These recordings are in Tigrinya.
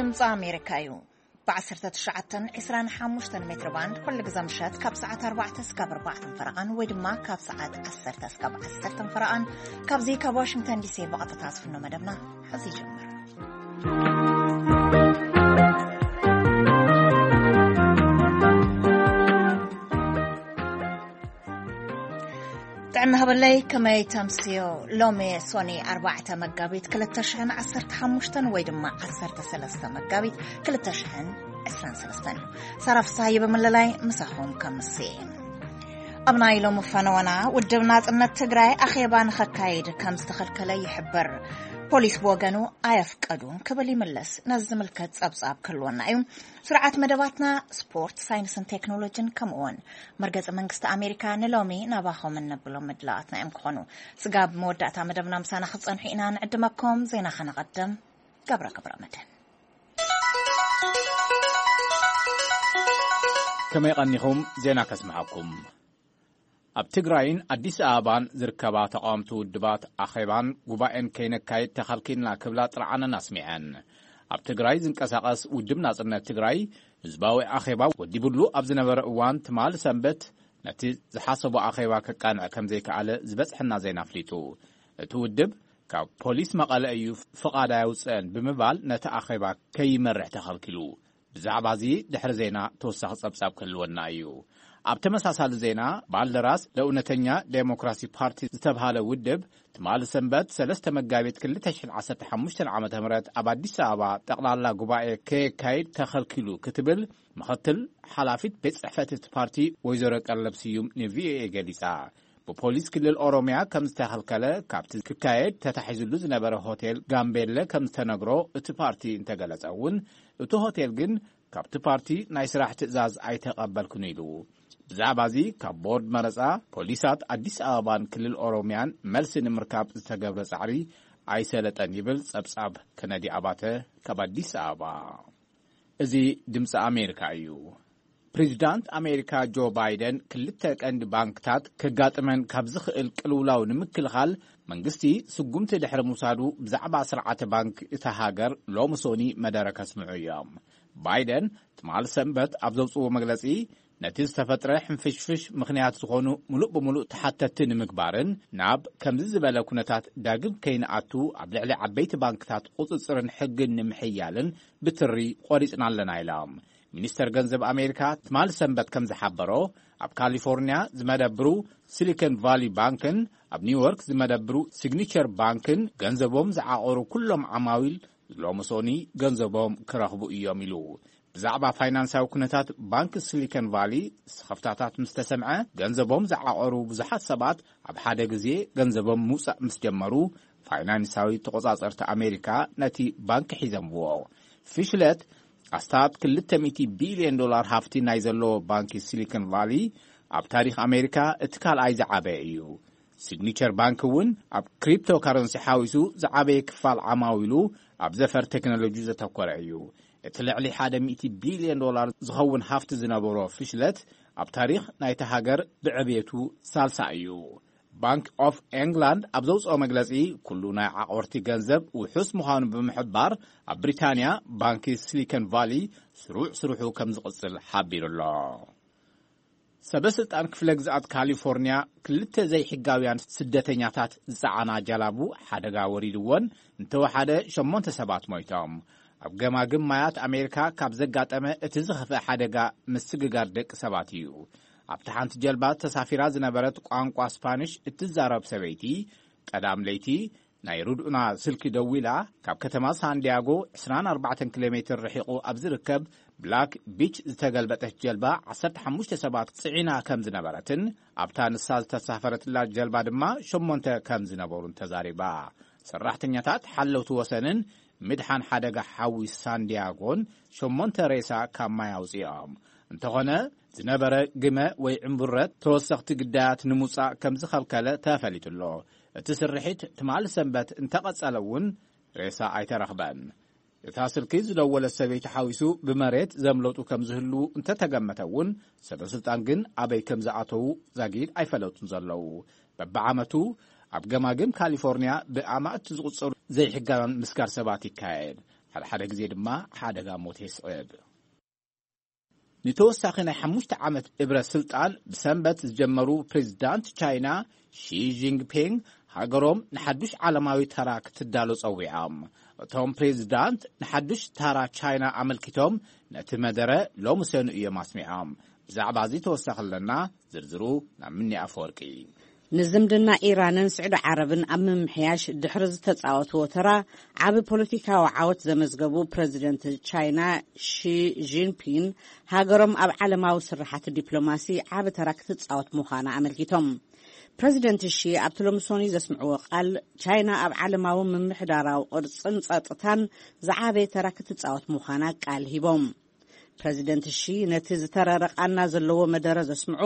ድምፂ ኣሜሪካ እዩ። ብ19፣ 25 ሜትር ባንድ ኩሉ ግዜ ምሸት ካብ ሰዓት ኣርባዕተ እስካብ ኣርባዕተ ፈረቓን ወይ ድማ ካብ ሰዓት ዓሰርተ እስካብ ዓሰርተ ፈረቓን ካብዚ ካብ ዋሽንግተን ዲሲ ብቐጥታ ዝፍኖ መደብና ሕዚ ይጀምር። ጥዕና ሃበለይ፣ ከመይ ተምስዮ? ሎሚ ሶኒ ኣርባዕተ መጋቢት ክልተ ሽሕን ዓሰርተ ሓሙሽተን ወይ ድማ ዓሰርተ ሰለስተ መጋቢት ክልተ ሽሕን ዕስራን ሰለስተን እዩ። ሳራ ፍስሃየ ብምልላይ ምሳኹም ከምሲ። ኣብ ናይ ሎሚ ፈነወና፣ ውድብ ናጽነት ትግራይ ኣኼባ ንኸካይድ ከም ዝተኸልከለ ይሕብር። ፖሊስ ብወገኑ ኣየፍቀዱን ክብል ይምልስ። ነዚ ዝምልከት ጸብጻብ ክህልወና እዩ። ስርዓት መደባትና ስፖርት፣ ሳይንስን ቴክኖሎጂን ከምኡውን መርገጺ መንግስቲ ኣሜሪካ ንሎሚ ናባኹም እነብሎም ምድላዋትና እዮም ክኾኑ። ስጋብ መወዳእታ መደብና ምሳና ክትጸንሑ ኢና ንዕድመኩም። ዜና ከነቐድም። ገብረ ገብረ መድህን። ከመይ ቀኒኹም? ዜና ከስምዓኩም። ኣብ ትግራይን ኣዲስ ኣበባን ዝርከባ ተቓወምቲ ውድባት ኣኼባን ጉባኤን ከይነካይድ ተኸልኪልና ክብላ ጥርዓነን ኣስሚዐን። ኣብ ትግራይ ዝንቀሳቐስ ውድብ ናጽነት ትግራይ ህዝባዊ ኣኼባ ወዲብሉ ኣብ ዝነበረ እዋን ትማሊ ሰንበት ነቲ ዝሓሰቦ ኣኼባ ከቃንዕ ከም ዘይከኣለ ዝበጽሐና ዜና ኣፍሊጡ። እቲ ውድብ ካብ ፖሊስ መቐለ እዩ ፍቓድ ኣየውጽአን ብምባል ነቲ ኣኼባ ከይመርሕ ተኸልኪሉ። ብዛዕባ እዚ ድሕሪ ዜና ተወሳኺ ጸብጻብ ክህልወና እዩ። ኣብ ተመሳሳሊ ዜና፣ ባልደራስ ለእውነተኛ ዴሞክራሲ ፓርቲ ዝተብሃለ ውድብ ትማሊ ሰንበት ሰለስተ መጋቢት ክልተ ሽሕን ዓሰርተ ሓሙሽተን ዓመተ ምህረት ኣብ ኣዲስ ኣበባ ጠቕላላ ጉባኤ ከየካይድ ተኸልኪሉ ክትብል ምኽትል ሓላፊት ቤት ጽሕፈት እቲ ፓርቲ ወይዘሮ ቀለብ ስዩም ንቪኦኤ ገሊጻ። ብፖሊስ ክልል ኦሮምያ ከም ዝተኸልከለ፣ ካብቲ ክካየድ ተታሒዙሉ ዝነበረ ሆቴል ጋምቤለ ከም ዝተነግሮ እቲ ፓርቲ እንተገለጸ እውን፣ እቲ ሆቴል ግን ካብቲ ፓርቲ ናይ ስራሕ ትእዛዝ ኣይተቐበልኩን ኢሉ። ብዛዕባ እዚ ካብ ቦርድ መረጻ፣ ፖሊሳት ኣዲስ ኣበባን ክልል ኦሮምያን መልሲ ንምርካብ ዝተገብረ ጻዕሪ ኣይሰለጠን ይብል ጸብጻብ ከነዲ ኣባተ ካብ ኣዲስ ኣበባ። እዚ ድምፂ ኣሜሪካ እዩ። ፕሬዚዳንት ኣሜሪካ ጆ ባይደን ክልተ ቀንዲ ባንክታት ከጋጥመን ካብ ዝኽእል ቅልውላው ንምክልኻል መንግስቲ ስጉምቲ ድሕሪ ምውሳዱ ብዛዕባ ስርዓተ ባንክ እታ ሃገር ሎሚ ሶኒ መደረ ከስምዑ እዮም። ባይደን ትማል ሰንበት ኣብ ዘውፅዎ መግለፂ ነቲ ዝተፈጥረ ሕንፍሽፍሽ ምኽንያት ዝኾኑ ሙሉእ ብሙሉእ ተሓተትቲ ንምግባርን ናብ ከምዚ ዝበለ ኩነታት ዳግም ከይንኣቱ ኣብ ልዕሊ ዓበይቲ ባንክታት ቁፅፅርን ሕግን ንምሕያልን ብትሪ ቆሪፅና ኣለና ኢሎም። ሚኒስተር ገንዘብ ኣሜሪካ ትማል ሰንበት ከም ዝሓበሮ፣ ኣብ ካሊፎርኒያ ዝመደብሩ ሲሊኮን ቫሊ ባንክን ኣብ ኒውዮርክ ዝመደብሩ ሲግኒቸር ባንክን ገንዘቦም ዝዓቐሩ ኩሎም ዓማዊል ሎሚ ሶኒ ገንዘቦም ክረኽቡ እዮም ኢሉ። ብዛዕባ ፋይናንሳዊ ኩነታት ባንክ ሲሊኮን ቫሊ ስኽፍታታት ምስ ተሰምዐ፣ ገንዘቦም ዝዓቐሩ ብዙሓት ሰባት ኣብ ሓደ ግዜ ገንዘቦም ምውጻእ ምስ ጀመሩ፣ ፋይናንሳዊ ተቖጻጸርቲ ኣሜሪካ ነቲ ባንክ ሒዘምዎ። ፊሽለት ኣስታት ክልተ ሚእቲ ቢልዮን ዶላር ሃፍቲ ናይ ዘለዎ ባንኪ ሲሊኮን ቫሊ ኣብ ታሪኽ ኣሜሪካ እቲ ካልኣይ ዝዓበየ እዩ። ሲግኒቸር ባንክ እውን ኣብ ክሪፕቶ ካረንሲ ሓዊሱ ዝዓበየ ክፋል ዓማዊሉ ኣብ ዘፈር ቴክኖሎጂ ዘተኮረ እዩ። እቲ ልዕሊ ሓደ ሚእቲ ቢልዮን ዶላር ዝኸውን ሃፍቲ ዝነበሮ ፊሽለት ኣብ ታሪኽ ናይታ ሃገር ብዕብየቱ ሳልሳ እዩ። ባንክ ኦፍ ኤንግላንድ ኣብ ዘውፅኦ መግለፂ፣ ኩሉ ናይ ዓቆርቲ ገንዘብ ውሑስ ምዃኑ ብምሕባር፣ ኣብ ብሪታንያ ባንኪ ሲሊኮን ቫሊ ስሩዕ ስርሑ ከም ዝቕፅል ሓቢሩ ኣሎ። ሰበ ስልጣን ክፍለ ግዝኣት ካሊፎርኒያ ክልተ ዘይሕጋውያን ስደተኛታት ዝፀዓና ጀላቡ ሓደጋ ወሪድወን እንተወሓደ ሸሞንተ ሰባት ሞይቶም። ኣብ ገማግም ማያት ኣሜሪካ ካብ ዘጋጠመ እቲ ዝኸፍአ ሓደጋ ምስግጋር ደቂ ሰባት እዩ። ኣብታ ሓንቲ ጀልባ ተሳፊራ ዝነበረት ቋንቋ ስፓኒሽ እትዛረብ ሰበይቲ ቀዳም ለይቲ ናይ ርድኡና ስልኪ ደዊላ፣ ካብ ከተማ ሳንዲያጎ ዕስራን ኣርባዕተን ኪሎ ሜትር ርሒቑ ኣብ ዝርከብ ብላክ ቢች ዝተገልበጠት ጀልባ ዓሰርተ ሓሙሽተ ሰባት ጽዒና ከም ዝነበረትን ኣብታ ንሳ ዝተሳፈረትላ ጀልባ ድማ ሸሞንተ ከም ዝነበሩን ተዛሪባ። ሰራሕተኛታት ሓለውቲ ወሰንን ምድሓን ሓደጋ ሓዊ ሳንዲያጎን ሸሞንተ ሬሳ ካብ ማይ ኣውፅኦም። እንተኾነ፣ ዝነበረ ግመ ወይ ዕምቡረት ተወሰኽቲ ግዳያት ንምውፃእ ከም ዝኸልከለ ተፈሊጡ ኣሎ። እቲ ስርሒት ትማሊ ሰንበት እንተቐጸለ እውን ሬሳ ኣይተረኽበን። እታ ስልኪ ዝደወለት ሰበይቲ ሓዊሱ ብመሬት ዘምለጡ ከም ዝህልዉ እንተተገመተ እውን፣ ሰበ ስልጣን ግን ኣበይ ከም ዝኣተዉ ዛጊድ ኣይፈለጡን ዘለዉ። በብዓመቱ ኣብ ገማግም ካሊፎርኒያ ብኣማእቲ ዝቑጸሩ ዘይሕጋውያን ምስጋር ሰባት ይካየድ። ሓደ ሓደ ግዜ ድማ ሓደጋ ሞት የስዕብ። ንተወሳኺ ናይ ሓሙሽተ ዓመት እብረ ስልጣን ብሰንበት ዝጀመሩ ፕሬዚዳንት ቻይና ሺ ጂንፒንግ፣ ሃገሮም ንሓዱሽ ዓለማዊ ተራ ክትዳሎ ጸዊዖም። እቶም ፕሬዚዳንት ንሓዱሽ ተራ ቻይና ኣመልኪቶም ነቲ መደረ ሎሚ ሰኑ እዮም ኣስሚዖም። ብዛዕባ እዚ ተወሳኺ ኣለና። ዝርዝሩ ናብ ምኒ ኣፈወርቂ። ንዝምድና ኢራንን ስዑዲ ዓረብን ኣብ ምምሕያሽ ድሕሪ ዝተጻወትዎ ተራ፣ ዓቢ ፖለቲካዊ ዓወት ዘመዝገቡ ፕረዚደንት ቻይና ሺ ጂንፒን፣ ሃገሮም ኣብ ዓለማዊ ስራሓት ዲፕሎማሲ ዓቢ ተራ ክትጻወት ምዃና ኣመልኪቶም። ፕረዚደንት ሺ ኣብቲ ሎሚ ሰኑይ ዘስምዕዎ ቃል፣ ቻይና ኣብ ዓለማዊ ምምሕዳራዊ ቅርጽን ጸጥታን ዝዓበየ ተራ ክትጻወት ምዃና ቃል ሂቦም። ፕረዚደንት ሺ ነቲ ዝተረረ ቃና ዘለዎ መደረ ዘስምዑ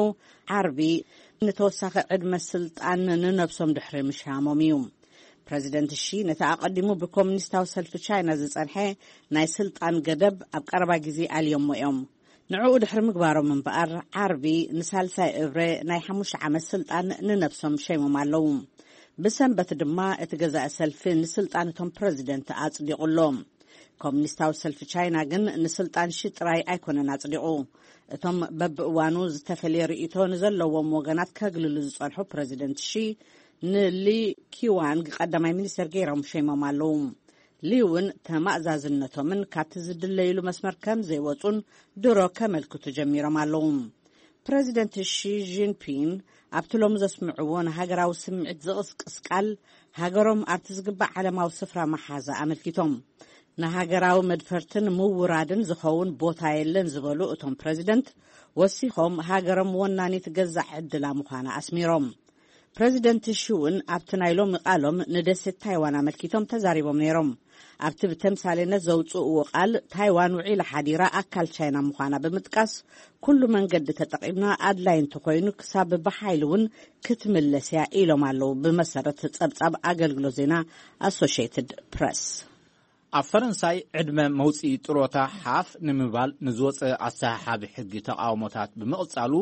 ዓርቢ፣ ንተወሳኺ ዕድመ ስልጣን ንነብሶም ድሕሪ ምሻሞም እዩ። ፕረዚደንት ሺ ነቲ ኣቐዲሙ ብኮሙኒስታዊ ሰልፊ ቻይና ዝጸንሐ ናይ ስልጣን ገደብ ኣብ ቀረባ ግዜ ኣልዮሞ እዮም። ንዕኡ ድሕሪ ምግባሮም እምበኣር፣ ዓርቢ ንሳልሳይ እብረ ናይ ሓሙሽተ ዓመት ስልጣን ንነብሶም ሸይሞም ኣለዉ። ብሰንበት ድማ እቲ ገዛኢ ሰልፊ ንስልጣን እቶም ፕረዚደንት ኣጽዲቑ ኣሎ። ኮሙኒስታዊ ሰልፊ ቻይና ግን ንስልጣን ሺ ጥራይ ኣይኮነን ኣጽዲቑ። እቶም በብእዋኑ ዝተፈለየ ርእይቶ ንዘለዎም ወገናት ከግልሉ ዝጸንሑ ፕረዚደንት ሺ፣ ንሊ ኪዋንግ ቀዳማይ ሚኒስተር ገይሮም ሸይሞም ኣለዉ። ሊ እውን ተማእዛዝነቶምን ካብቲ ዝድለይሉ መስመር ከም ዘይወጹን ድሮ ከመልክቱ ጀሚሮም ኣለዉ። ፕረዚደንት ሺ ጂንፒን ኣብቲ ሎሚ ዘስምዕዎ ንሃገራዊ ስምዒት ዝቕስቅስ ቃል፣ ሃገሮም ኣብቲ ዝግባእ ዓለማዊ ስፍራ መሓዛ ኣመልኪቶም፣ ንሃገራዊ መድፈርትን ምውራድን ዝኸውን ቦታ የለን ዝበሉ እቶም ፕረዚደንት፣ ወሲኾም ሃገሮም ወናኒት ገዛእ ዕድላ ምዃና ኣስሚሮም። ፕረዚደንት ሺ እውን ኣብቲ ናይ ሎሚ ቃሎም ንደሴት ታይዋን ኣመልኪቶም ተዛሪቦም ነይሮም። ኣብቲ ብተምሳሌነት ዘውፅእዎ ቃል፣ ታይዋን ውዒላ ሓዲራ ኣካል ቻይና ምዃና ብምጥቃስ፣ ኩሉ መንገዲ ተጠቒምና ኣድላይ እንተኾይኑ ክሳብ ብሓይሊ እውን ክትምለስ እያ ኢሎም ኣለዉ፣ ብመሰረት ጸብጻብ ኣገልግሎት ዜና ኣሶሽየትድ ፕረስ። ኣብ ፈረንሳይ ዕድመ መውፅኢ ጥሮታ ሓፍ ንምባል ንዝወፀ ኣሰሓሓቢ ሕጊ ተቃውሞታት ብምቕጻሉ፣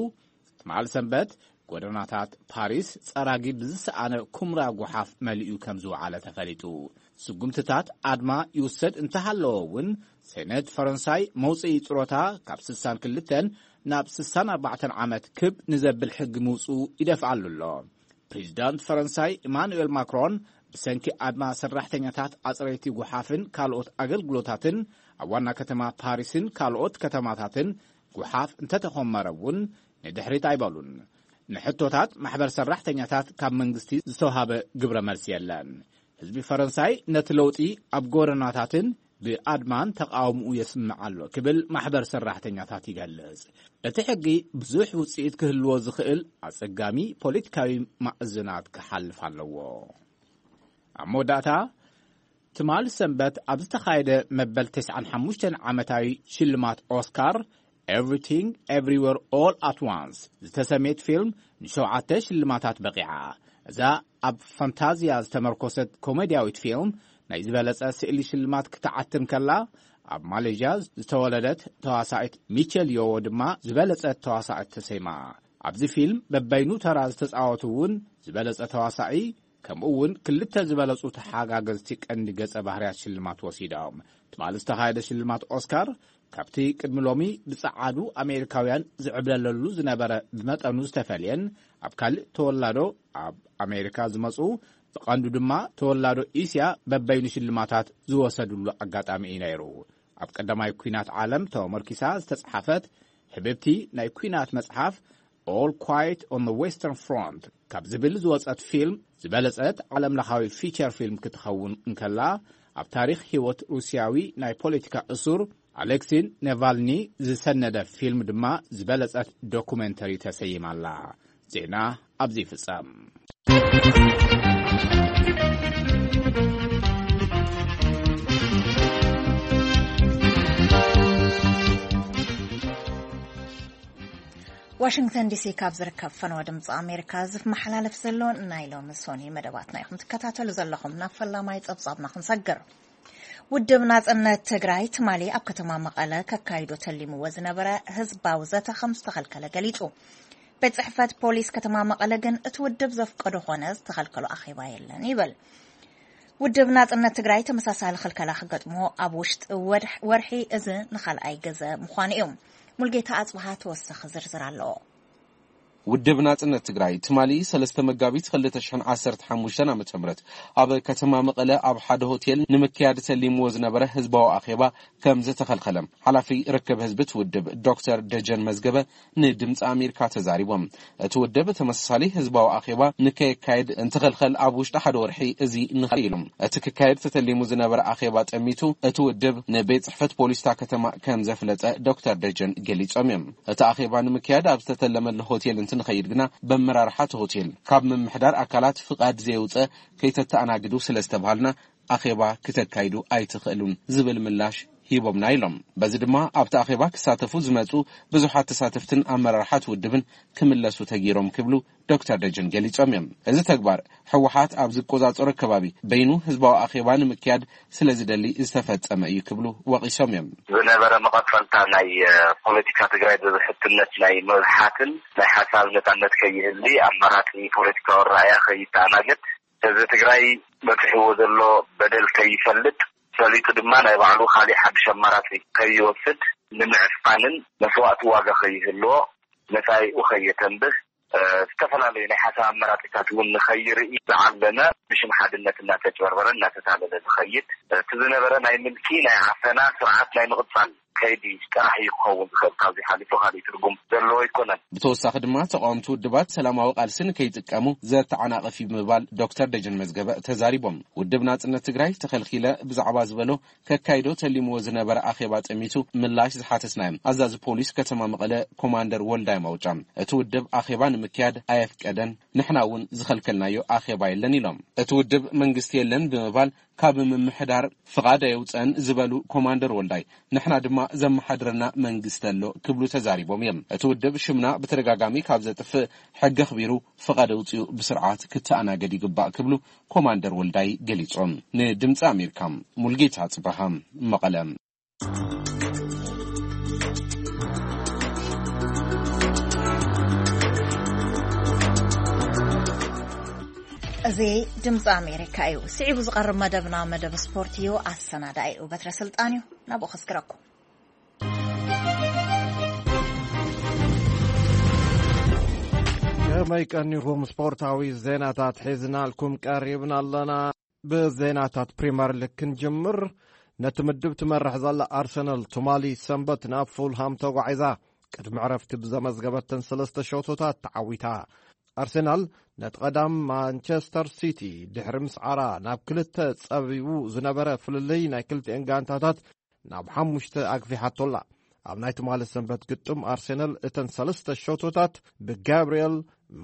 ትማል ሰንበት ጎደናታት ፓሪስ ጸራጊ ብዝሰኣነ ኩምራ ጓሓፍ መሊኡ ከም ዝወዓለ ተፈሊጡ። ስጉምትታት ኣድማ ይውሰድ እንተሃለወ እውን፣ ሴኔት ፈረንሳይ መውፅኢ ጥሮታ ካብ ስሳን ክልተን ናብ ስሳን ኣርባዕተን ዓመት ክብ ንዘብል ሕጊ ምውፅኡ ይደፍኣሉ ኣሎ። ፕሬዚዳንት ፈረንሳይ ኢማኑኤል ማክሮን ብሰንኪ ኣድማ ሰራሕተኛታት ኣጽረይቲ ጓሓፍን ካልኦት ኣገልግሎታትን ኣብ ዋና ከተማ ፓሪስን ካልኦት ከተማታትን ጓሓፍ እንተተኾመረ እውን ንድሕሪት ኣይበሉን። ንሕቶታት ማሕበር ሰራሕተኛታት ካብ መንግስቲ ዝተውሃበ ግብረ መልሲ የለን። ህዝቢ ፈረንሳይ ነቲ ለውጢ ኣብ ጎደናታትን ብኣድማን ተቃውምኡ የስምዕ ኣሎ ክብል ማሕበር ሰራሕተኛታት ይገልጽ። እቲ ሕጊ ብዙሕ ውጽኢት ክህልዎ ዝኽእል ኣጸጋሚ ፖለቲካዊ ማዕዝናት ክሓልፍ ኣለዎ። ኣብ መወዳእታ፣ ትማሊ ሰንበት ኣብ ዝተኻየደ መበል ተስዓን ሓሙሽተን ዓመታዊ ሽልማት ኦስካር፣ ኤቭሪቲንግ ኤቭሪዌር ኦል ኣት ዋንስ ዝተሰምየት ፊልም ንሸውዓተ ሽልማታት በቒዓ። እዛ ኣብ ፋንታዝያ ዝተመርኮሰት ኮሜድያዊት ፊልም ናይ ዝበለጸ ስእሊ ሽልማት ክትዓትም ከላ፣ ኣብ ማሌዥያ ዝተወለደት ተዋሳኢት ሚቸል ዮዎ ድማ ዝበለጸት ተዋሳኢት ተሰይማ። ኣብዚ ፊልም በበይኑ ተራ ዝተጻወቱ እውን ዝበለጸ ተዋሳኢ፣ ከምኡ እውን ክልተ ዝበለጹ ተሓጋገዝቲ ቀንዲ ገጸ ባህርያት ሽልማት ወሲዶም። ትማሊ ዝተኻየደ ሽልማት ኦስካር ካብቲ ቅድሚ ሎሚ ብጸዓዱ ኣሜሪካውያን ዝዕብለለሉ ዝነበረ ብመጠኑ ዝተፈልየን፣ ኣብ ካልእ ተወላዶ ኣብ ኣሜሪካ ዝመጹ፣ ብቐንዱ ድማ ተወላዶ እስያ በበይኑ ሽልማታት ዝወሰድሉ ኣጋጣሚ እዩ ነይሩ። ኣብ ቀዳማይ ኲናት ዓለም ተመርኪሳ ዝተጻሓፈት ህብብቲ ናይ ኲናት መጽሓፍ All Quiet on the Western Front ካብ ዝብል ዝወጸት ፊልም ዝበለጸት ዓለምለኻዊ ፊቸር ፊልም ክትኸውን እንከላ፣ ኣብ ታሪኽ ህይወት ሩስያዊ ናይ ፖለቲካ እሱር ኣሌክሲን ኔቫልኒ ዝሰነደ ፊልም ድማ ዝበለጸት ዶኩሜንተሪ ተሰይማላ። ዜና ኣብዚ ይፍጸም። ዋሽንግተን ዲሲ ካብ ዝርከብ ፈነወ ድምፂ ኣሜሪካ ዝመሓላለፍ ዘሎ ናይ ሎሚ ሶኒ መደባትና ኢኹም ትከታተሉ ዘለኹም። ናብ ፈላማይ ፀብፃብና ክንሰግር። ውድብ ናጽነት ትግራይ ትማሊ ኣብ ከተማ መቐለ ከካይዶ ተሊምዎ ዝነበረ ህዝባዊ ዘተ ከም ዝተኸልከለ ገሊጹ። ቤት ጽሕፈት ፖሊስ ከተማ መቐለ ግን እቲ ውድብ ዘፍቀዶ ኾነ ዝተኸልከሎ ኣኼባ የለን ይብል። ውድብ ናጽነት ትግራይ ተመሳሳሊ ክልከላ ክገጥሞ ኣብ ውሽጢ ወድሕ- ወርሒ እዚ ንኻልኣይ ግዘ ምዃኑ እዩ። ሙልጌታ ኣጽብሃ ተወሳኺ ዝርዝር ኣለዎ። ውድብ ናጽነት ትግራይ ትማሊ ሰለስተ መጋቢት ክልተ ሽሕን ዓሰርተ ሓሙሽተን ዓመተ ምህረት ኣብ ከተማ መቐለ ኣብ ሓደ ሆቴል ንምክያድ ተሊምዎ ዝነበረ ህዝባዊ ኣኼባ ከም ዝተኸልከለ ሓላፊ ርክብ ህዝቢ እቲ ውድብ ዶክተር ደጀን መዝገበ ንድምፂ ኣሜሪካ ተዛሪቦም። እቲ ውድብ ተመሳሳሊ ህዝባዊ ኣኼባ ንከየካየድ እንትኸልከል ኣብ ውሽጢ ሓደ ወርሒ እዚ ንኽእል ኢሉ። እቲ ክካየድ ተተሊሙ ዝነበረ ኣኼባ ጠሚቱ እቲ ውድብ ንቤት ጽሕፈት ፖሊስታ ከተማ ከም ዘፍለጠ ዶክተር ደጀን ገሊጾም እዮም። እቲ ኣኼባ ንምክያድ ኣብ ዝተተለመሉ ሆቴል እንትንኸይድ ግና በመራርሓ እቲ ሆቴል ካብ ምምሕዳር ኣካላት ፍቓድ ዘየውፀ ከይተተኣናግዱ ስለ ዝተባሃልና ኣኼባ ክተካይዱ ኣይትኽእሉን ዝብል ምላሽ ሂቦምና ኢሎም። በዚ ድማ ኣብቲ ኣኼባ ክሳተፉ ዝመጹ ብዙሓት ተሳተፍትን ኣመራርሓት ውድብን ክምለሱ ተጊሮም ክብሉ ዶክተር ደጀን ገሊጾም እዮም። እዚ ተግባር ህወሓት ኣብ ዝቆጻጸሮ ከባቢ በይኑ ህዝባዊ ኣኼባ ንምክያድ ስለ ዝደሊ ዝተፈጸመ እዩ ክብሉ ወቒሶም እዮም። ዝነበረ መቐጸልታ ናይ ፖለቲካ ትግራይ ብብሕትነት ናይ ምብሓትን ናይ ሓሳብ ነጻነት ከይህሊ ኣማራጺ ፖለቲካዊ ኣረኣእያ ከይተኣናገድ ህዝቢ ትግራይ በፂሕዎ ዘሎ በደል ከይፈልጥ ፈሊጡ ድማ ናይ ባዕሉ ካሊእ ሓድሽ ኣማራፂ ከይወስድ ንምዕፋንን መስዋእቲ ዋጋ ከይህልዎ መፃኢኡ ከየተንብህ ዝተፈላለዩ ናይ ሓሳብ ኣመራፂታት እውን ንኸይርኢ ዝዓለመ ብሽም ሓድነት እናተጭበርበረ እናተታለለ ዝኸይድ እቲ ዝነበረ ናይ ምልኪ ናይ ዓፈና ስርዓት ናይ ምቕፃል ከይዲ ጥራሕ እዩ ክኸውን ዝኽእል። ካብዚ ሓሊፉ ካሊእ ትርጉም ዘለዎ ኣይኮነን። ብተወሳኺ ድማ ተቃወምቲ ውድባት ሰላማዊ ቃልሲ ንከይጥቀሙ ዘተዓናቕፍ እዩ ብምባል ዶክተር ደጀን መዝገበ ተዛሪቦም። ውድብ ናጽነት ትግራይ ተኸልኪለ ብዛዕባ ዝበሎ ከካይዶ ተሊምዎ ዝነበረ ኣኼባ ጠሚቱ ምላሽ ዝሓተስናዮም ኣዛዚ ፖሊስ ከተማ መቐለ ኮማንደር ወልዳይ ማውጫ እቲ ውድብ ኣኼባ ንምክያድ ኣየፍቀደን፣ ንሕና እውን ዝኸልከልናዮ ኣኼባ የለን ኢሎም። እቲ ውድብ መንግስቲ የለን ብምባል ካብ ምምሕዳር ፍቓድ ኣየውፀን ዝበሉ ኮማንደር ወልዳይ ንሕና ድማ ዘመሓድረና መንግስቲ ኣሎ ክብሉ ተዛሪቦም እዮም። እቲ ውድብ ሽምና ብተደጋጋሚ ካብ ዘጥፍእ ሕጊ ኣኽቢሩ ፍቓድ ኣውፂኡ ብስርዓት ክተኣናገድ ይግባእ ክብሉ ኮማንደር ወልዳይ ገሊጾም። ንድምፂ ኣሜሪካ ሙልጌታ ጽበሃ መቐለ። እዚ ድምፂ ኣሜሪካ እዩ። ስዒቡ ዝቐርብ መደብና መደብ ስፖርት እዩ። ኣሰናዳኢኡ በትረ ስልጣን እዩ። ናብኡ ከስግረኩም። ከመይ ቀኒኹም? ስፖርታዊ ዜናታት ሒዝናልኩም ቀሪብና ኣለና። ብዜናታት ፕሪምየር ሊግ ክንጅምር። ነቲ ምድብ ትመርሕ ዘላ ኣርሰናል ትማሊ ሰንበት ናብ ፉልሃም ተጓዒዛ ቅድሚ ዕረፍቲ ብዘመዝገበተን ሰለስተ ሸቶታት ተዓዊታ። ኣርሰናል ነቲ ቀዳም ማንቸስተር ሲቲ ድሕሪ ምስዓራ ናብ ክልተ ጸቢቡ ዝነበረ ፍልልይ ናይ ክልቲኤን ጋንታታት ናብ ሓሙሽተ ኣግፊሓቶላ። ኣብ ናይ ትማሊ ሰንበት ግጥም ኣርሰናል እተን ሰለስተ ሸቶታት ብጋብርኤል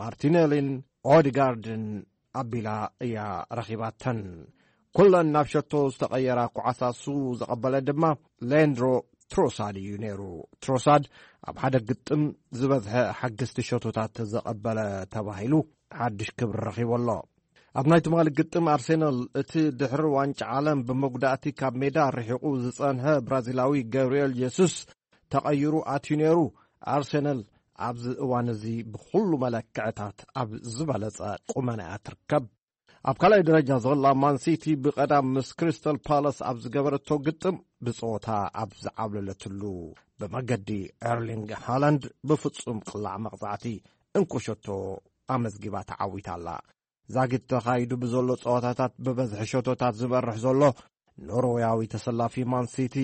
ማርቲኔሊን ኦዲጋርድን ኣቢላ እያ ረኺባተን። ኩለን ናብ ሸቶ ዝተቐየራ ኳዕሳሱ ዘቐበለ ድማ ሌንድሮ ትሮሳድ እዩ ነይሩ። ትሮሳድ ኣብ ሓደ ግጥም ዝበዝሐ ሓገዝቲ ሸቶታት ዘቐበለ ተባሂሉ ሓድሽ ክብሪ ረኺቡ ኣሎ። ኣብ ናይ ትማሊ ግጥም ኣርሴናል እቲ ድሕሪ ዋንጫ ዓለም ብመጉዳእቲ ካብ ሜዳ ርሒቑ ዝጸንሐ ብራዚላዊ ገብርኤል ጀሱስ ተቐይሩ ኣትዩ ነይሩ። ኣርሴናል ኣብዚ እዋን እዚ ብኹሉ መለክዕታት ኣብ ዝበለጸ ቁመና እያ ትርከብ። ኣብ ካልኣይ ደረጃ ዘላ ማንሲቲ ብቐዳም ምስ ክሪስታል ፓላስ ኣብ ዝገበረቶ ግጥም ብጸወታ ኣብ ዝዓብለለትሉ ብመገዲ ኤርሊንግ ሃላንድ ብፍጹም ቅላዕ መቕጻዕቲ እንኮ ሸቶ ኣመዝጊባ ተዓዊታ ኣላ። ዛጊት ተኻይዱ ብዘሎ ጸወታታት ብበዝሒ ሸቶታት ዝመርሕ ዘሎ ኖርወያዊ ተሰላፊ ማንሲቲ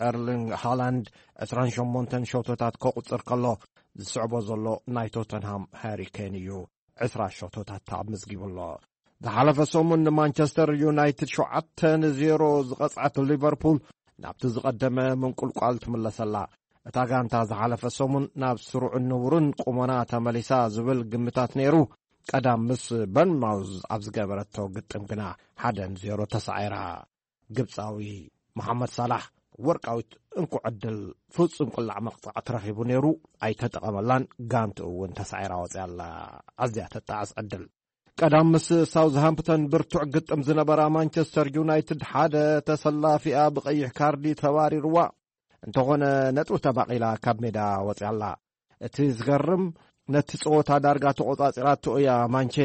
ኤርሊንግ ሃላንድ ዕስራን ሸሞንተን ሸቶታት ከቑጽር ከሎ፣ ዝስዕቦ ዘሎ ናይ ቶተንሃም ሃሪ ኬን እዩ። ዕስራ ሸቶታት ኣመዝጊቡ ኣሎ። ዝሓለፈ ሰሙን ንማንቸስተር ዩናይትድ ሸውዓተ ንዜሮ ዝቐጽዐት ሊቨርፑል ናብቲ ዝቐደመ ምንቁልቋል ትምለሰላ። እታ ጋንታ ዝሓለፈ ሰሙን ናብ ስሩዕን ንቡርን ቁመና ተመሊሳ ዝብል ግምታት ነይሩ። ቀዳም ምስ በርንማውዝ ኣብ ዝገበረቶ ግጥም ግና ሓደ ንዜሮ ተሳዒራ። ግብጻዊ መሓመድ ሳላሕ ወርቃዊት እንኮ ዕድል ፍጹም ቅላዕ መቕጻዕቲ ረኺቡ ነይሩ፣ ኣይተጠቐመላን። ጋንትኡ እውን ተሳዒራ ወጺኣ ኣላ። ኣዝያ ተጣዕስ ዕድል። ቀዳም ምስ ሳውዝሃምፕተን ብርቱዕ ግጥም ዝነበራ ማንቸስተር ዩናይትድ ሓደ ተሰላፊኣ ብቐይሕ ካርዲ ተባሪርዋ። እንተኾነ ነጥቢ ተባቒላ ካብ ሜዳ ወጺኣ ኣላ። እቲ ዝገርም ነቲ ጸወታ ዳርጋ ተቖጻጺራቶ እያ ማንቼ።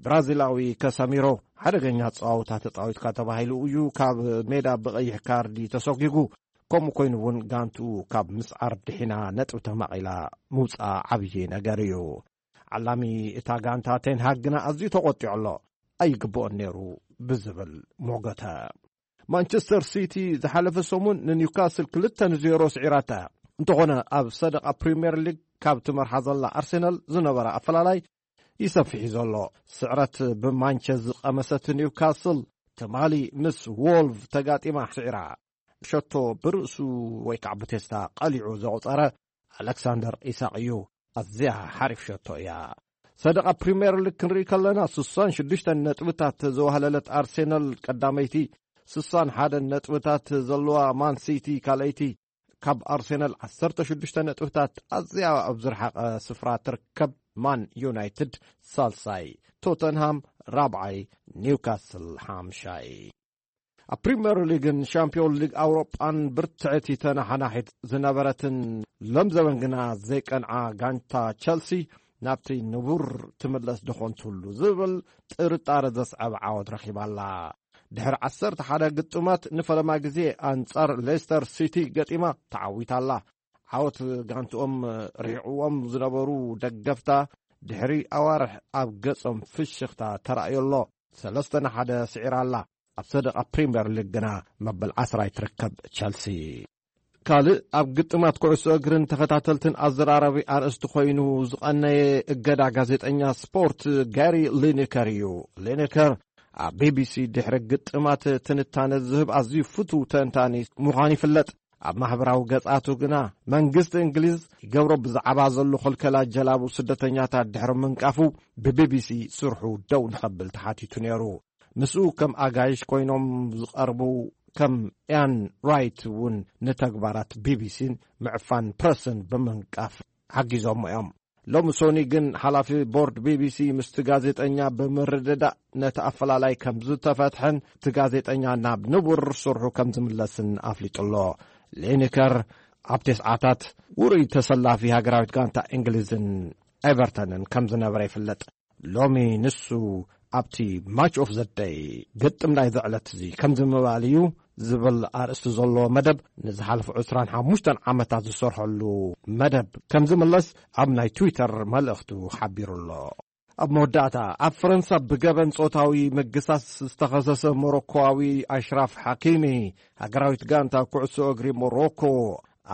ብራዚላዊ ከሰሚሮ ሓደገኛ ኣጸዋውታ ተጻዊትካ ተባሂሉ እዩ ካብ ሜዳ ብቐይሕ ካርዲ ተሰጒጉ። ከምኡ ኮይኑ እውን ጋንትኡ ካብ ምስዓር ድሒና ነጥቢ ተማቒላ ምውጻኣ ዓብዪ ነገር እዩ። ዓላሚ እታ ጋንታ ቴንሃግ ግና ኣዝዩ ተቖጢዑ ኣሎ። ኣይግብኦን ነይሩ ብዝብል ሞገተ። ማንቸስተር ሲቲ ዝሓለፈ ሰሙን ንኒውካስል ክልተ ንዜሮ ስዒራታ። እንተኾነ ኣብ ሰደቓ ፕሪምየር ሊግ ካብ ትመርሓ ዘላ ኣርሴናል ዝነበረ ኣፈላላይ ይሰፍሕ እዩ ዘሎ። ስዕረት ብማንቸ ዝቐመሰት ኒውካስል ትማሊ ምስ ዎልቭ ተጋጢማ ስዒራ። ሸቶ ብርእሱ ወይ ከዓ ብቴስታ ቀሊዑ ዘቑጸረ ኣሌክሳንደር ኢሳቕ እዩ ኣዝያ ሓሪፍ ሸቶ እያ። ሰደቓ ፕሪምየር ሊግ ክንርኢ ከለና ስሳን ሽዱሽተ ነጥብታት ዘዋህለለት ኣርሴናል ቀዳመይቲ፣ ስሳን ሓደ ነጥብታት ዘለዋ ማን ሲቲ ካልኣይቲ፣ ካብ ኣርሴናል ዓሰርተ ሽዱሽተ ነጥብታት ኣዝያ ኣብ ዝረሓቐ ስፍራ ትርከብ ማን ዩናይትድ ሳልሳይ፣ ቶተንሃም ራብዓይ፣ ኒውካስል ሓምሻይ። ኣብ ፕሪምየር ሊግን ሻምፒዮን ሊግ ኣውሮጳን ብርትዕቲ ተናሓናሒት ዝነበረትን ሎም ዘበን ግና ዘይቀንዓ ጋንታ ቸልሲ ናብቲ ንቡር ትምለስ ደኾን ትህሉ ዝብል ጥርጣረ ዘስዐበ ዓወት ረኺባ ኣላ። ድሕሪ ዓሰርተ ሓደ ግጥማት ንፈለማ ግዜ ኣንጻር ሌስተር ሲቲ ገጢማ ተዓዊታ ኣላ። ዓወት ጋንትኦም ርሒቕዎም ዝነበሩ ደገፍታ ድሕሪ ኣዋርሕ ኣብ ገጾም ፍሽኽታ ተራእዮ ኣሎ። ሰለስተ ንሓደ ስዒራ ኣላ። ኣብ ሰደቓ ፕሪምየር ሊግ ግና መበል ዓስራይ ትርከብ ቸልሲ። ካልእ ኣብ ግጥማት ኩዕሶ እግርን ተኸታተልትን ኣዘራራቢ ኣርእስቲ ኮይኑ ዝቐነየ እገዳ ጋዜጠኛ ስፖርት ጋሪ ሊኒከር እዩ። ሊኒከር ኣብ ቢቢሲ ድሕሪ ግጥማት ትንታነ ዝህብ ኣዝዩ ፍቱው ተንታኒ ምዃኑ ይፍለጥ። ኣብ ማሕበራዊ ገጻቱ ግና መንግስቲ እንግሊዝ ይገብሮ ብዛዕባ ዘሎ ክልከላ ጀላቡ ስደተኛታት ድሕሪ ምንቃፉ ብቢቢሲ ስርሑ ደው ንኸብል ተሓቲቱ ነይሩ። ምስኡ ከም ኣጋይሽ ኮይኖም ዝቐርቡ ከም ኢያን ራይት እውን ንተግባራት ቢቢሲን ምዕፋን ፕረስን ብምንቃፍ ሓጊዞሞ እዮም። ሎሚ ሶኒ ግን ሓላፊ ቦርድ ቢቢሲ ምስቲ ጋዜጠኛ ብምርድዳእ ነቲ ኣፈላላይ ከም ዝተፈትሐን እቲ ጋዜጠኛ ናብ ንቡር ስርሑ ከም ዝምለስን ኣፍሊጡ ኣሎ። ሊኒከር ኣብ ተስዓታት ውሩይ ተሰላፊ ሃገራዊት ጋንታ እንግሊዝን ኤቨርተንን ከም ዝነበረ ይፍለጥ። ሎሚ ንሱ ኣብቲ ማች ኦፍ ዘ ደይ ግጥም ናይዚ ዕለት እዚ ከምዚ ምባል እዩ ዝብል ኣርእስቲ ዘለዎ መደብ ንዝሓለፉ ዕስራን ሓሙሽተን ዓመታት ዝሰርሐሉ መደብ ከም ዝምለስ ኣብ ናይ ትዊተር መልእኽቱ ሓቢሩ ኣሎ። ኣብ መወዳእታ ኣብ ፈረንሳ ብገበን ጾታዊ ምግሳስ ዝተኸሰሰ ሞሮኮዊ ኣሽራፍ ሓኪሚ ሃገራዊት ጋንታ ኩዕሶ እግሪ ሞሮኮ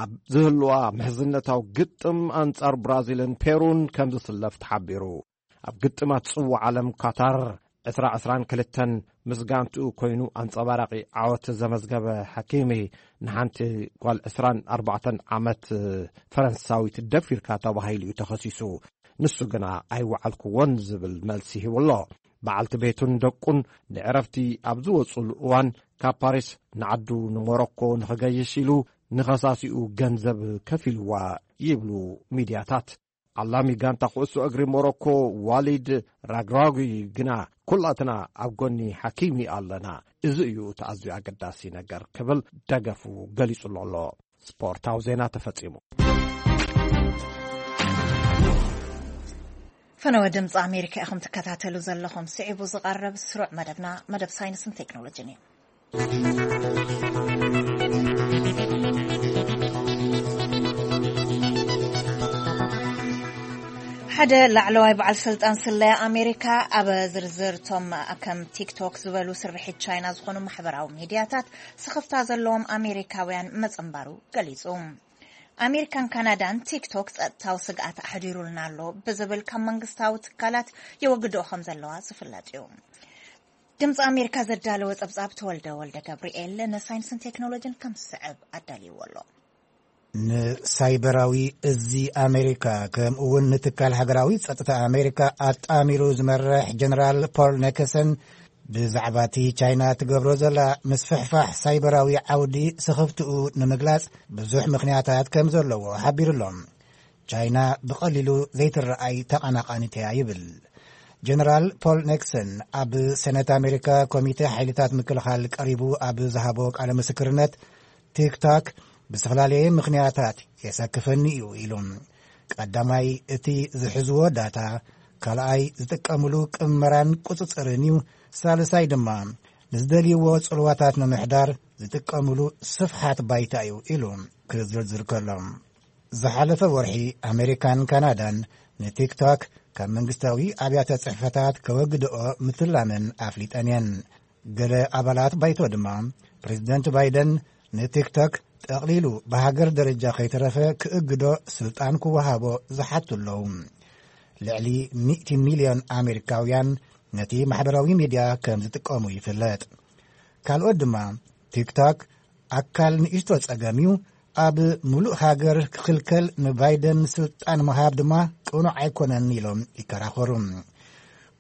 ኣብ ዝህልዋ ምሕዝነታዊ ግጥም ኣንጻር ብራዚልን ፔሩን ከም ዝስለፍ ተሓቢሩ። ኣብ ግጥማት ጽዋዕ ዓለም ካታር ዕስራ ዕስራን ክልተን ምስ ጋንትኡ ኮይኑ ኣንጸባራቒ ዓወት ዘመዝገበ ሓኪሚ ንሓንቲ ጓል ዕስራን ኣርባዕተን ዓመት ፈረንሳዊት ደፊርካ ተባሂሉ እዩ ተኸሲሱ። ንሱ ግና ኣይወዓልኩዎን ዝብል መልሲ ሂቡ ኣሎ። በዓልቲ ቤቱን ደቁን ንዕረፍቲ ኣብ ዝወጹሉ እዋን ካብ ፓሪስ ንዓዱ ንሞሮኮ ንኽገይሽ ኢሉ ንኸሳሲኡ ገንዘብ ከፊልዋ ይብሉ ሚድያታት። ዓላሚ ጋንታ ኩዕሶ እግሪ ሞሮኮ ዋሊድ ራግራጉ ግና ኩላትና ኣብ ጎኒ ሓኪሚ ኣለና፣ እዚ እዩ እቲ ኣዝዩ ኣገዳሲ ነገር ክብል ደገፉ ገሊጹ ኣሎ። ስፖርታዊ ዜና ተፈጺሙ። ፈነወ ድምፂ ኣሜሪካ ኢኹም ትከታተሉ ዘለኹም። ስዒቡ ዝቐርብ ስሩዕ መደብና መደብ ሳይንስን ቴክኖሎጂን እዩ። ሓደ ላዕለዋይ በዓል ስልጣን ስለያ ኣሜሪካ ኣብ ዝርዝር እቶም ከም ቲክቶክ ዝበሉ ስርሒት ቻይና ዝኾኑ ማሕበራዊ ሚድያታት ስኽፍታ ዘለዎም ኣሜሪካውያን መጸንባሩ ገሊጹ። ኣሜሪካን ካናዳን ቲክቶክ ጸጥታዊ ስግኣት ኣሕዲሩልና ኣሎ ብዝብል ካብ መንግስታዊ ትካላት የወግድኦ ከም ዘለዋ ዝፍለጥ እዩ። ድምፂ ኣሜሪካ ዘዳለወ ጸብጻብ ተወልደ ወልደ ገብርኤል ንሳይንስን ቴክኖሎጂን ከም ዝስዕብ ኣዳልይዎ ኣሎ። ንሳይበራዊ እዚ ኣሜሪካ ከምኡ እውን ንትካል ሃገራዊ ጸጥታ ኣሜሪካ ኣጣሚሩ ዝመርሕ ጀነራል ፖል ኔክሰን ብዛዕባ እቲ ቻይና ትገብሮ ዘላ ምስፍሕፋሕ ሳይበራዊ ዓውዲ ስኽፍትኡ ንምግላጽ ብዙሕ ምኽንያታት ከም ዘለዎ ሓቢሩ ኣሎ። ቻይና ብቐሊሉ ዘይትረኣይ ተቐናቓኒት እያ ይብል። ጀነራል ፖል ኔክሰን ኣብ ሰነት ኣሜሪካ ኮሚተ ሓይልታት ምክልኻል ቀሪቡ ኣብ ዝሃቦ ቃለ ምስክርነት፣ ቲክቶክ ብዝፈላለየ ምኽንያታት የሰክፈኒ እዩ ኢሉ። ቀዳማይ፣ እቲ ዝሕዝዎ ዳታ፣ ካልኣይ ዝጥቀምሉ ቅመራን ቁጽጽርን እዩ። ሳልሳይ ድማ ንዝደልይዎ ጽልዋታት ንምሕዳር ዝጥቀምሉ ስፍሓት ባይታ እዩ ኢሉ ክዝርዝር ከሎ፣ ዝሓለፈ ወርሒ ኣሜሪካን ካናዳን ንቲክቶክ ካብ መንግስታዊ ኣብያተ ጽሕፈታት ከወግድኦ ምትላመን ኣፍሊጠን እየን። ገለ ኣባላት ባይቶ ድማ ፕሬዚደንት ባይደን ንቲክቶክ ጠቕሊሉ ብሃገር ደረጃ ከይተረፈ ክእግዶ ስልጣን ክወሃቦ ዝሓቱ ኣለዉ። ልዕሊ ሚእቲ ሚልዮን ኣሜሪካውያን ነቲ ማሕበራዊ ሚድያ ከም ዝጥቀሙ ይፍለጥ። ካልኦት ድማ ቲክቶክ ኣካል ንእሽቶ ጸገም እዩ፣ ኣብ ምሉእ ሃገር ክኽልከል ንባይደን ስልጣን ምሃብ ድማ ቅኑዕ ኣይኮነን ኢሎም ይከራኸሩ።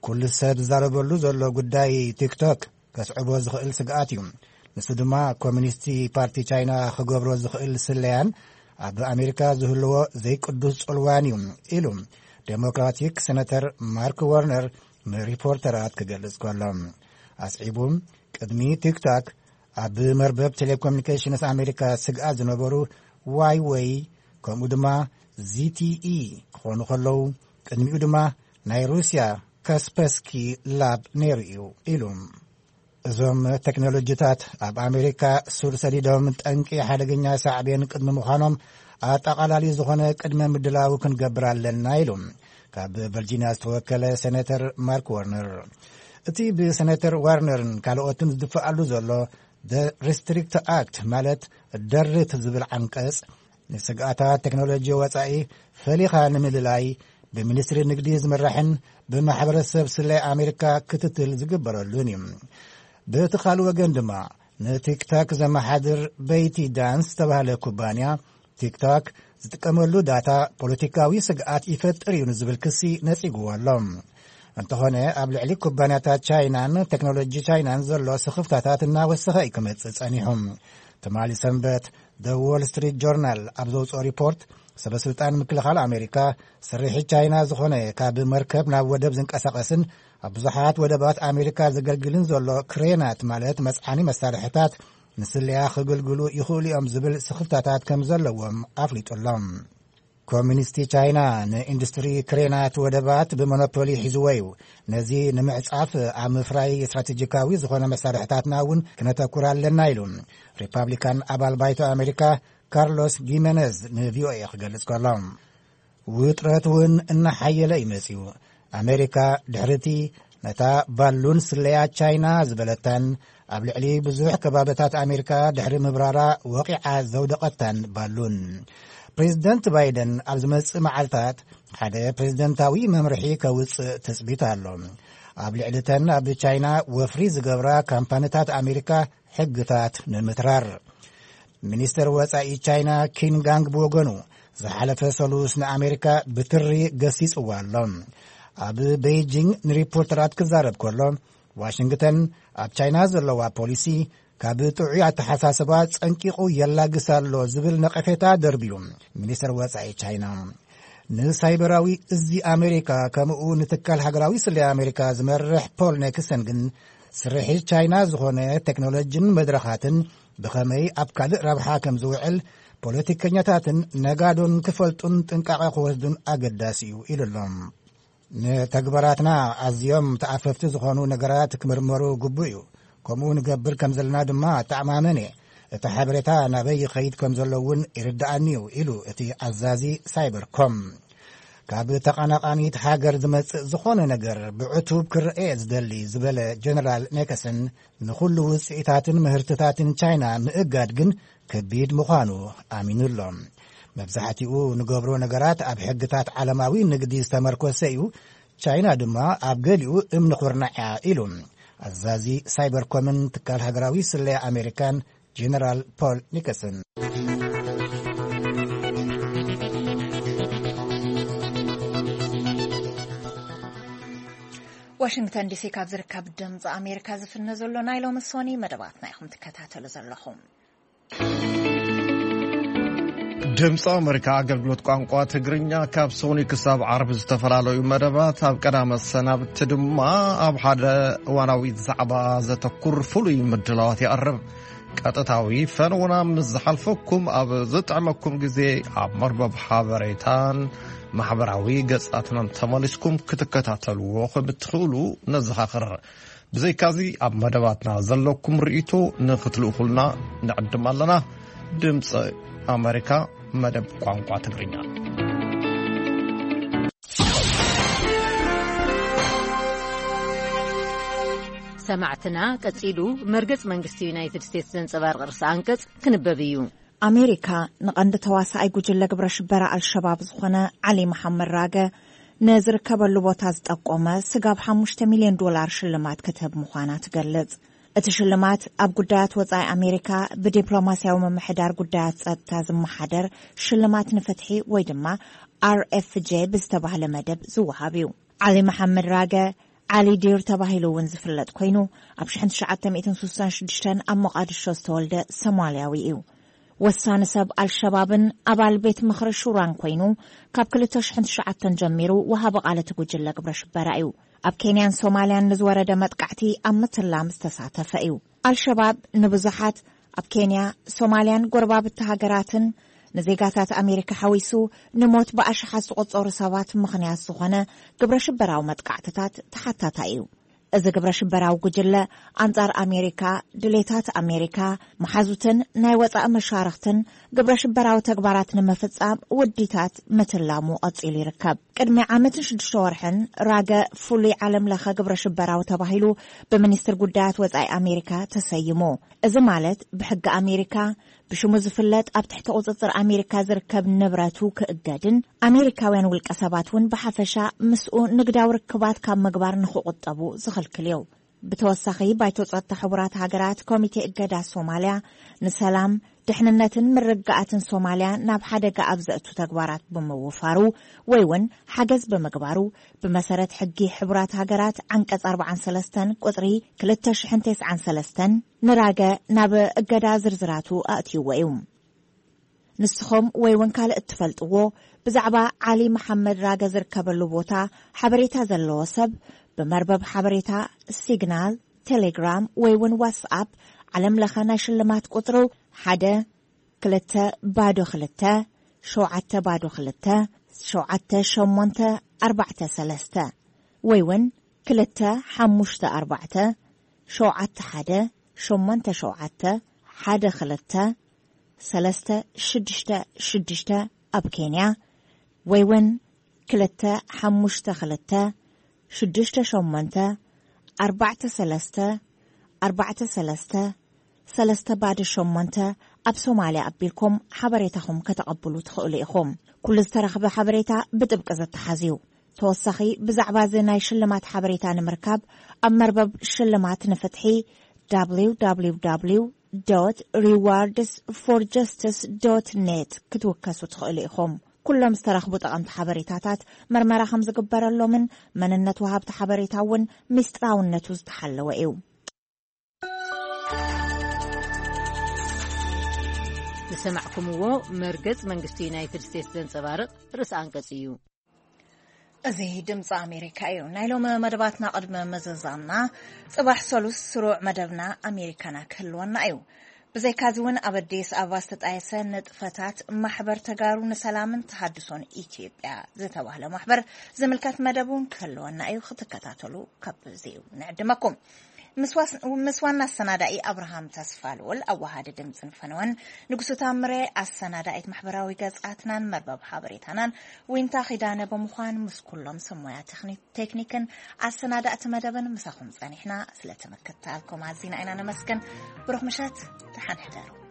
ኩሉ ሰብ ዝዛረበሉ ዘሎ ጉዳይ ቲክቶክ ከስዕቦ ዝኽእል ስግኣት እዩ። ንሱ ድማ ኮሚኒስቲ ፓርቲ ቻይና ክገብሮ ዝኽእል ስለያን ኣብ ኣሜሪካ ዝህልዎ ዘይቅዱስ ጽልዋን እዩ ኢሉ ዴሞክራቲክ ሴነተር ማርክ ወርነር ንሪፖርተራት ክገልጽ ከሎ፣ ኣስዒቡ ቅድሚ ቲክቶክ ኣብ መርበብ ቴሌኮሙኒኬሽንስ ኣሜሪካ ስግኣት ዝነበሩ ዋይወይ ከምኡ ድማ ዚቲኢ ክኾኑ ከለዉ፣ ቅድሚኡ ድማ ናይ ሩስያ ካስፐስኪ ላብ ነይሩ እዩ ኢሉ። እዞም ቴክኖሎጂታት ኣብ ኣሜሪካ ሱር ሰዲዶም ጠንቂ ሓደገኛ ሳዕቤን ቅድሚ ምዃኖም ኣጠቓላሊ ዝኾነ ቅድመ ምድላው ክንገብር ኣለና ኢሉ ካብ ቨርጂኒያ ዝተወከለ ሴኔተር ማርክ ዋርነር። እቲ ብሴኔተር ዋርነርን ካልኦትን ዝድፈኣሉ ዘሎ ሪስትሪክት ኣክት ማለት ደርት ዝብል ዓንቀጽ ንስግኣታት ቴክኖሎጂ ወጻኢ ፈሊኻ ንምልላይ ብሚኒስትሪ ንግዲ ዝምራሕን ብማሕበረሰብ ስለያ ኣሜሪካ ክትትል ዝግበረሉን እዩ። በቲ ካልእ ወገን ድማ ንቲክቶክ ዘመሓድር በይቲ ዳንስ ዝተባህለ ኩባንያ ቲክቶክ ዝጥቀመሉ ዳታ ፖለቲካዊ ስግኣት ይፈጥር እዩ ንዝብል ክሲ ነጺግዎ ኣሎ። እንተኾነ ኣብ ልዕሊ ኩባንያታት ቻይናን ቴክኖሎጂ ቻይናን ዘሎ ስኽፍታታት እናወሰኸ እዩ ክመጽእ ጸኒሑ። ትማሊ ሰንበት ደ ዎል ስትሪት ጆርናል ኣብ ዘውፅኦ ሪፖርት፣ ሰበስልጣን ምክልኻል ኣሜሪካ ስርሒት ቻይና ዝኾነ ካብ መርከብ ናብ ወደብ ዝንቀሳቐስን ኣብ ብዙሓት ወደባት ኣሜሪካ ዘገልግልን ዘሎ ክሬናት ማለት መፅዓኒ መሳርሕታት ንስለያ ክግልግሉ ይኽእሉ እዮም ዝብል ስኽፍታታት ከም ዘለዎም ኣፍሊጡ ኣሎ። ኮሚኒስቲ ቻይና ንኢንዱስትሪ ክሬናት ወደባት ብሞኖፖሊ ሒዝዎ እዩ። ነዚ ንምዕጻፍ ኣብ ምፍራይ ስትራቴጂካዊ ዝኾነ መሳርሕታትና እውን ክነተኩር ኣለና ኢሉ ሪፓብሊካን ኣባል ባይቶ ኣሜሪካ ካርሎስ ጊመነዝ ንቪኦኤ ክገልጽ ከሎ፣ ውጥረት እውን እናሓየለ እዩ መጺኡ። ኣሜሪካ ድሕርቲ ነታ ባሉን ስለያ ቻይና ዝበለታን ኣብ ልዕሊ ብዙሕ ከባብታት ኣሜሪካ ድሕሪ ምብራራ ወቒዓ ዘውደቐታን ባሉን። ፕሬዚደንት ባይደን ኣብ ዝመጽእ መዓልታት ሓደ ፕሬዚደንታዊ መምርሒ ከውጽእ ትጽቢት ኣሎ። ኣብ ልዕሊተን ኣብ ቻይና ወፍሪ ዝገብራ ካምፓኒታት ኣሜሪካ ሕግታት ንምትራር። ሚኒስተር ወጻኢ ቻይና ኪን ጋንግ ብወገኑ ዝሓለፈ ሰሉስ ንኣሜሪካ ብትሪ ገሲጽዋ ኣሎ። ኣብ ቤይጂንግ ንሪፖርተራት ክዛረብ ከሎ፣ ዋሽንግተን ኣብ ቻይና ዘለዋ ፖሊሲ ካብ ጥዑይ ኣተሓሳስባ ጸንቂቑ የላግስ ኣሎ ዝብል ነቐፌታ ደርብዩ። ሚኒስተር ወጻኢ ቻይና ንሳይበራዊ እዚ ኣሜሪካ ከምኡ ንትካል ሃገራዊ ስለያ ኣሜሪካ ዝመርሕ ፖል ኔክሰን ግን ስርሒት ቻይና ዝኾነ ቴክኖሎጂን መድረኻትን ብኸመይ ኣብ ካልእ ረብሓ ከም ዝውዕል ፖለቲከኛታትን ነጋዶን ክፈልጡን ጥንቃቐ ክወስዱን ኣገዳሲ እዩ ኢሉ ኣሎ። ንተግባራትና ኣዝዮም ተኣፈፍቲ ዝኾኑ ነገራት ክምርመሩ ግቡእ እዩ። ከምኡ ንገብር ከም ዘለና ድማ እተኣማመን እየ። እቲ ሓበሬታ ናበይ ይኸይድ ከም ዘሎ እውን ይርድኣኒ እዩ ኢሉ እቲ ኣዛዚ ሳይበርኮም። ካብ ተቐናቓኒት ሃገር ዝመጽእ ዝኾነ ነገር ብዕቱብ ክረኤ ዝደሊ ዝበለ ጀነራል ኔከሰን፣ ንኹሉ ውጽኢታትን ምህርትታትን ቻይና ምእጋድ ግን ከቢድ ምዃኑ ኣሚኑ ኣሎ። መብዛሕትኡ ንገብሮ ነገራት ኣብ ሕግታት ዓለማዊ ንግዲ ዝተመርኮሰ እዩ። ቻይና ድማ ኣብ ገሊኡ እምኒ ኩርናዕ እያ ኢሉ ኣዛዚ ሳይበርኮምን ትካል ሃገራዊ ስለያ ኣሜሪካን ጀነራል ፖል ኒከሰን። ዋሽንግተን ዲሲ ካብ ዝርከብ ድምፂ ኣሜሪካ ዝፍነ ዘሎ ናይ ሎሚ ሶኒ መደባትና ኢኹም ትከታተሉ ዘለኹም። ድምፂ ኣሜሪካ ኣገልግሎት ቋንቋ ትግርኛ ካብ ሶኒ ክሳብ ዓርቢ ዝተፈላለዩ መደባት፣ ኣብ ቀዳመ ሰናብቲ ድማ ኣብ ሓደ እዋናዊ ዛዕባ ዘተኩር ፍሉይ ምድላዋት የቕርብ። ቀጥታዊ ፈነውና ምስ ዝሓልፈኩም፣ ኣብ ዝጥዕመኩም ግዜ ኣብ መርበብ ሓበሬታን ማሕበራዊ ገጻትናን ተመሊስኩም ክትከታተልዎ ከም እትኽእሉ ነዘኻኽር። ብዘይካዚ፣ ኣብ መደባትና ዘለኩም ርእይቶ ንኽትልእኹልና ንዕድም ኣለና። ድምፂ ኣሜሪካ፣ መደብ ቋንቋ ትግርኛ። ሰማዕትና፣ ቀጺሉ መርገጽ መንግስቲ ዩናይትድ ስቴትስ ዘንጸባርቕ ርእሰ ኣንቀጽ ክንበብ እዩ። ኣሜሪካ ንቐንዲ ተዋሳኣይ ጉጅለ ግብረ ሽበራ ኣልሸባብ ዝኾነ ዓሊ መሓመድ ራገ ንዝርከበሉ ቦታ ዝጠቆመ ስጋብ ሓሙሽተ ሚልዮን ዶላር ሽልማት ክትህብ ምዃና ትገልጽ። እቲ ሽልማት ኣብ ጉዳያት ወጻኢ ኣሜሪካ ብዲፕሎማስያዊ ምምሕዳር ጉዳያት ጸጥታ ዝመሓደር ሽልማት ንፍትሒ ወይ ድማ ኣር ኤፍ ጄ ብዝተባህለ መደብ ዝወሃብ እዩ። ዓሊ መሓመድ ራገ፣ ዓሊ ዲር ተባሂሉ እውን ዝፍለጥ ኮይኑ፣ ኣብ ሽሕን ትሽዓተ ሚእትን ስሳን ሽዱሽተን ኣብ ሞቓድሾ ዝተወልደ ሶማልያዊ እዩ። ወሳኒ ሰብ ኣልሸባብን ኣባል ቤት ምኽሪ ሹራን ኮይኑ፣ ካብ ክልተ ሽሕን ትሽዓተን ጀሚሩ ወሃቢ ቃል እቲ ጉጅለ ግብረ ሽበራ እዩ። ኣብ ኬንያን ሶማልያን ንዝወረደ መጥቃዕቲ ኣብ ምትላም ዝተሳተፈ እዩ። ኣልሸባብ ንብዙሓት ኣብ ኬንያ፣ ሶማልያን ጎረባብቲ ሃገራትን ንዜጋታት ኣሜሪካ ሓዊሱ ንሞት ብኣሽሓት ዝቑጸሩ ሰባት ምኽንያት ዝኾነ ግብረ ሽበራዊ መጥቃዕትታት ተሓታታይ እዩ። እዚ ግብረ ሽበራዊ ጉጅለ ኣንጻር ኣሜሪካ፣ ድሌታት ኣሜሪካ፣ መሓዙትን ናይ ወጻኢ መሻርኽትን ግብረ ሽበራዊ ተግባራት ንምፍጻም ውዲታት ምትላሙ ቀጺሉ ይርከብ። ቅድሚ ዓመትን ሽዱሽተ ወርሕን ራገ ፍሉይ ዓለም ለኸ ግብረ ሽበራዊ ተባሂሉ ብሚኒስትር ጉዳያት ወጻኢ ኣሜሪካ ተሰይሙ። እዚ ማለት ብሕጊ ኣሜሪካ ብሽሙ ዝፍለጥ ኣብ ትሕቲ ቁጽጽር ኣሜሪካ ዝርከብ ንብረቱ ክእገድን ኣሜሪካውያን ውልቀ ሰባት እውን ብሓፈሻ ምስኡ ንግዳዊ ርክባት ካብ ምግባር ንክቑጠቡ ዝኽልክል እዩ። ብተወሳኺ፣ ባይቶ ጸጥታ ሕቡራት ሃገራት ኮሚቴ እገዳ ሶማልያ ንሰላም፣ ድሕንነትን ምርግጋኣትን ሶማልያ ናብ ሓደጋ ኣብ ዘእቱ ተግባራት ብምውፋሩ ወይ እውን ሓገዝ ብምግባሩ፣ ብመሰረት ሕጊ ሕቡራት ሃገራት ዓንቀጽ ኣርባዓን ሰለስተን ቁጽሪ ክልተ ሽሕን ተስዓን ሰለስተን ንራገ ናብ እገዳ ዝርዝራቱ ኣእትይዎ እዩ። ንስኹም ወይ እውን ካልእ እትፈልጥዎ ብዛዕባ ዓሊ መሓመድ ራገ ዝርከበሉ ቦታ ሓበሬታ ዘለዎ ሰብ፣ ብመርበብ ሓበሬታ ሲግናል፣ ቴሌግራም ወይ እውን ዋትስኣፕ ዓለም ለኸ ናይ ሽልማት ቁጽሩ ሓደ ክልተ ባዶ ክልተ ሸውዓተ ባዶ ክልተ ሸውዓተ ሸሞንተ ኣርባዕተ ሰለስተ ወይ እውን ክልተ ሓሙሽተ ኣርባዕተ ሸውዓተ ሓደ ሸሞንተ ሸውዓተ ሓደ ክልተ ሰለስተ ሽዱሽተ ሽዱሽተ ኣብ ኬንያ፣ ወይ እውን ክልተ ሓሙሽተ ክልተ ሽዱሽተ ሸሞንተ ኣርባዕተ ሰለስተ ኣርባዕተ ሰለስተ ሰለስተ ባዶ ሸሞንተ ኣብ ሶማልያ ኣቢልኩም ሓበሬታኹም ከተቐብሉ ትኽእሉ ኢኹም። ኩሉ ዝተረኽበ ሓበሬታ ብጥብቂ ዝተሓዝ እዩ። ተወሳኺ ብዛዕባ እዚ ናይ ሽልማት ሓበሬታ ንምርካብ ኣብ መርበብ ሽልማት ንፍትሒ www rewards for justice net ክትውከሱ ትኽእሉ ኢኹም። ኩሎም ዝተረኽቡ ጠቐምቲ ሓበሬታታት መርመራ ከም ዝግበረሎምን መንነት ወሃብቲ ሓበሬታ እውን ምስጢራውነቱ ዝተሓለወ እዩ። ዝሰማዕኩምዎ መርገጽ መንግስቲ ዩናይትድ ስቴትስ ዘንጸባርቕ ርእሰ ኣንቀጽ እዩ። እዚ ድምፂ ኣሜሪካ እዩ። ናይ ሎሚ መደባትና ቅድሚ ምዝዛምና፣ ጽባሕ ሰሉስ ስሩዕ መደብና ኣሜሪካና ክህልወና እዩ። ብዘይካዚ እውን ኣብ ኣዲስ ኣበባ ዝተጣየሰ ንጥፈታት ማሕበር ተጋሩ ንሰላምን ተሃድሶን ኢትዮጵያ ዝተባህለ ማሕበር ዝምልከት መደብ እውን ክህልወና እዩ። ክትከታተሉ ካብ እዚኡ ንዕድመኩም። ምስ ዋስ-፣ ምስ ዋና ኣሰናዳኢ ኣብርሃም ተስፋልኡል፣ ኣዋሃዲ ድምፅን ፈነወን፣ ንጉሱ ታምሬ ኣሰናዳኢት ማሕበራዊ ገፃትናን መርበብ ሓበሬታናን፣ ዊንታ ኪዳነ ብምዃን ምስ ኩሎም ሰብ ሞያ ቴክኒ-፣ ቴክኒክን ኣሰናዳእቲ መደብን ምሳኹም ጸኒሕና። ስለቲ ምክትታልኩም ኣዚና ኢና ነመስግን። ብሩኽ ምሸት፣ ደሓን ሕደሩ።